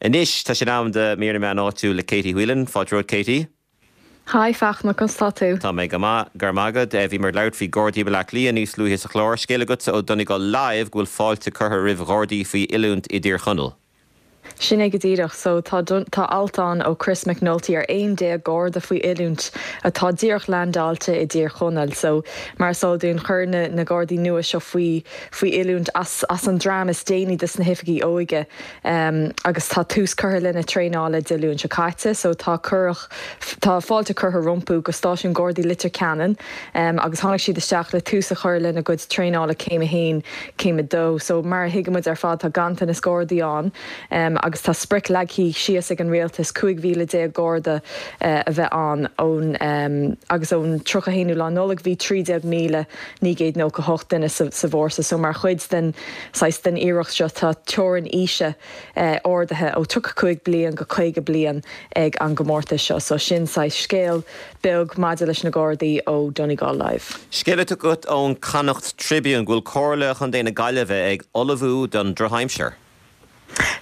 Anois, tá sé in am do Mír na Meán Áitiúil le Katie Whelan. Fáilte romhat, Katie. Hi, Fachtna, conas tá tú? Tá mé go maith, go raibh maith agat. Bhíomar ag labhairt faoi Ghardaí Bhaile Átha Cliath níos luaithe sa chlár. Scéal agatsa ó Donegal Live go bhfuil fáilte curtha roimh Ghardaí faoi oiliúint i dTír Chonaill. Sin é go díreach. So, tá tá alt ann ó Chris McNulty ar 11 Garda faoi oiliúint atá díreach leaindeáilte i dTír Chonaill. So, mar is eol dúinn, chuir na na Gardaí nua seo faoi faoi oiliúint as as an dream is déanaí des na hoifigigh óige. Agus tá tús curtha lena traenála Dé Luain seo caite. So tá cuireadh, tá fáilte curtha rompu go stáisiún Gardaí Leitir Ceanainn agus tháinig siad isteach le tús a chur lena gcuid traenála céim 1, céim 2. So mar a thuigimid ar fad tá ganntanas Gardaí ann agus tá sprioc leagtha síos ag an rialtas 15,000 Garda a bheith ann ón agus ón 31ú lá Nollag bhí 13,998 duine sa bhfórsa. So mar chuid den saghas den iarracht seo tá teorainn aoise ardaithe ó 35 bliain go 50 bliain ag an gcomórtas seo. So sin saghas scéal beag maidir leis na Gardaí ó Donegal Live. Scéal atá agat ón Connacht Tribune go bhfuil Comhairle Chontae na Gaillimhe ag ullmhú don drochaimsir.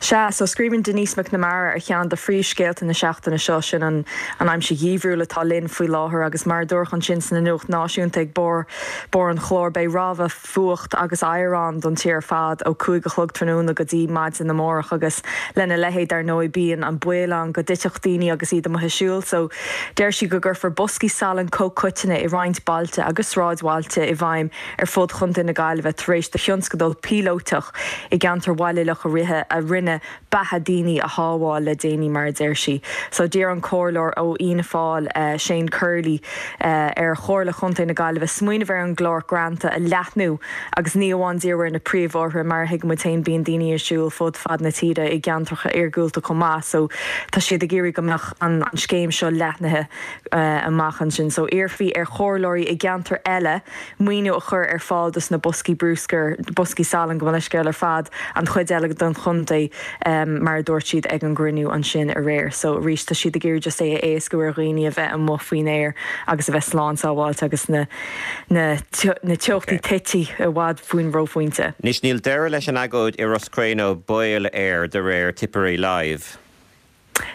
Sea, so scríobhann Denise McNamara ar cheann de phríomhscéalta na seachtaine seo, sin an an aimsir gheimhriúil atá linn faoi láthair agus mar a dúradh ansin sna nuacht náisiúnta ag barr barr an chláir, beidh rabhadh fuacht agus oighir ann don tír ar fad ó 5 a chlog tráthnóna go dtí maidin amárach agus lena leithéid dar ndóigh bíonn an baol ann go dtitfeadh daoine agus iad amuigh ag siúl so deir sí go gcuirfear boscaí salainn comhchoiteanna i roinnt bailte agus sráidbhailte i bhfeidhm ar fud Chontae na Gaillimhe tar éis do thionscadal píolótach i gceantar Bhaile Locha Riach a rinne beatha daoine a shábháil le déanaí, mar a deir sí. So d'iarr an comhairleoir ó Fhianna Fáil, Shane Curley, ar Chomhairle Chontae na Gaillimhe smaoineamh ar an gclár greanta a leathnú agus ní amháin díriú ar na príomhbhóithre, mar a thuigimid féin bíonn daoine ag siúl fud fad na tíre i gceantracha iargúlta chomh maith so tá siad ag iarraidh go mbeadh an scéim seo leathnaithe amach ansin. So iarrfaí ar chomhairleoirí i gceantair eile maoiniú a chur ar fáil dos na boscaí brúscair, boscaí salainn gabh mo leithscéal ar fad an chuid eile den chontae mar a dúirt siad ag an gcruinniú ansin aréir. So arís tá siad ag iarraidh just é a éascú ar dhaoine a bheith amuigh faoin aer agus a bheith slán sábháilte agus na na na teochtaí tite i bhfad faoin reophointe. Anois níl deireadh leis an agóid i Ros Cré nó baol air de réir Tipperary Live.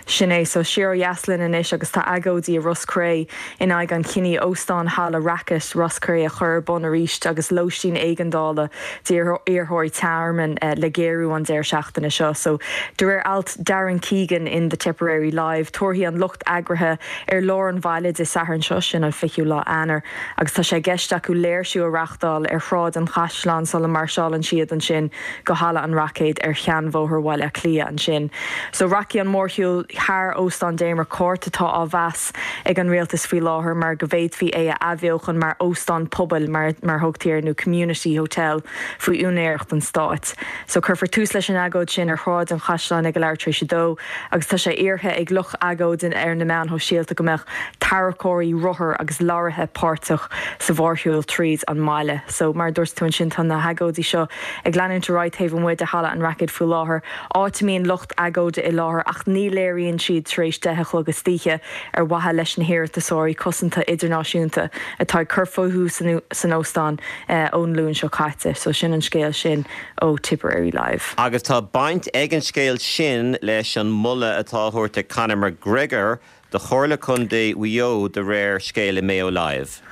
Sin é. So, siar ó dheas linn anois agus tá agóidí i Ros Cré in aghaidh an chinnidh Óstán Halla Rackett Ros Cré a chur ar bun arís agus lóistín éigeandála d'iarrthóirí tearmainn le géarú an deireadh seachtaine seo. So, de réir alt Darren Keegan in The Tipperary Live, tabharfaidh an lucht eagraithe ar lár an bhaile Dé Sathairn seo, sin an 20ú lá Eanáir, agus tá sé i gceist acu léirsiú a reachtáil ar Shráid an Chaisleáin sula mairseálann siad ansin go Halla an Raicéid ar Sheanbhóthar Bhaile Átha Cliath ansin. So rachaidh an mórshiúl thar Óstán Damer Court atá á mheas ag an rialtas faoi láthair mar go bhféadfaí é a athbheochan mar óstán pobail mar mar thugtaí air nó community hotel faoi úinéireacht an stáit. So cuirfear tús leis an agóid sin ar Shráid an Chaisleáin ag a leathuair tar éis a dó agus tá sé iarrtha ag lucht agóide ar na meáin shóisialta go mbeadh tarracóirí, rothair agus leoraithe páirteach sa mhórshiúl tríd an mbaile. So mar a dúirt tú ansin tá na hagóidí seo ag leanúint ar aghaidh taobh amuigh de Halla an Raicéid faoi láthair, áit a mbíonn lucht agóide i láthair ach ní léiríonn siad tar éis 10 a chlog istoíche ar mhaithe leis na hiarratasóirí cosanta idirnáisiúnta atá ag cur fúthu san óstán ón Luan seo caite. So sin an scéal sin ó Tipperary Live. Agus tá baint ag an scéal sin leis an moladh atá á thabhairt ag Conor McGregor do Chomhairle Contae Mhaigh Eo de réir scéil i Mayo Live.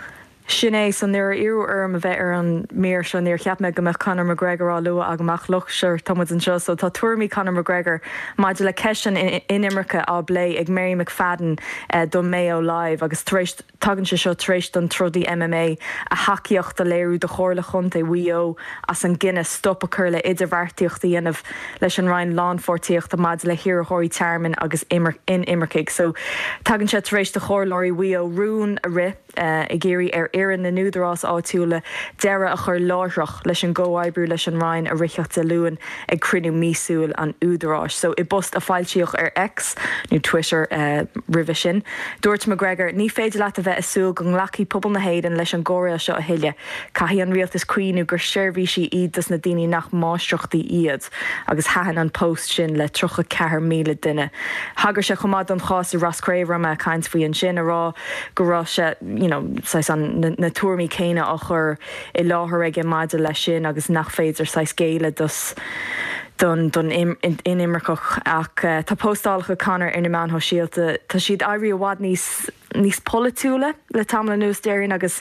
Sin é, so nuair a iarradh orm a bheith ar an mír seo níor cheap mé go mbeadh Conor McGregor á lua agam ach look, sure, tá muid anseo so tá tuairimí Conor McGregor maidir le ceist an inimirce á bplé ag Mary McFadden do Mayo Live agus tar éis, tagann sé seo tar éis don trodaí MMA a thacaíocht a léiriú do Chomhairle Chontae Mhaigh Eo as an gcinneadh stop a chur le idirbheartaíocht a dhéanamh leis an Roinn Lánpháirtíochta maidir le hiarrthóirí tearmainn agus inimircigh. So tagann sé tar éis do chomhairleoirí Mhaigh Eo rún a rith. ag iarraidh ar fhoireann na n-údarás áitiúla deireadh a chur láithreach leis an gcomhoibriú leis an Roinn a ritheadh Dé Luain ag cruinniú míosúil an Údaráis. So, i bpost a foilsíodh ar X, nó Twitter roimhe sin, dúirt McGregor, Ní féidir leat a bheith ag súil go nglacfaidh pobal na hÉireann leis an gcóiréal seo a thuilleadh. Caithfidh an rialtas cuimhniú gur seirbhísí iad dos na daoine nach máistreachtaí iad. Agus thaitin an post sin le 34,000 duine. Thagair sé chomh maith don chás i Ros Cré a raibh mé ag caint faoi ansin, a rá go raibh sé, you know, saghas an, na tuairimí céanna á chur i láthair aige maidir leis sin agus nach féidir saghas géilleadh dos. Don don inimirceach ach tá postálacha Conor ar na meáin shóisialta, tá siad éirí i bhfad níos níos polaitiúla le tamall anuas déarfainn agus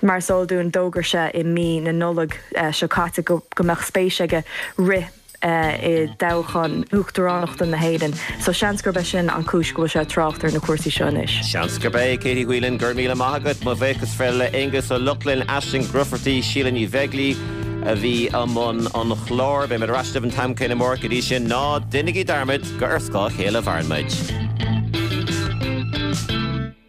mar is eol dúinn d'fhógair sé i mí na Nollag seo caite go go mbeadh spéis aige rith i dtoghchán uachtaránachta na hÉireann so seans gurb é sin an cúis go bhfuil sé ag trácht ar na cúrsaí seo anois. Seans gurb é. Katie Whelan, go raibh míle maith agat. Mo bhuíochas le Aonghus Ó Lochlainn, Aisling Grufferty, Síle Ní Bheaglaoi a bhí i mbun an chláir. Beidh muid ar ais libh an t-am céanna amárach. Go dtí sin, ná déanaigí dearmad gur ar scáth a chéile a mhaireann muid.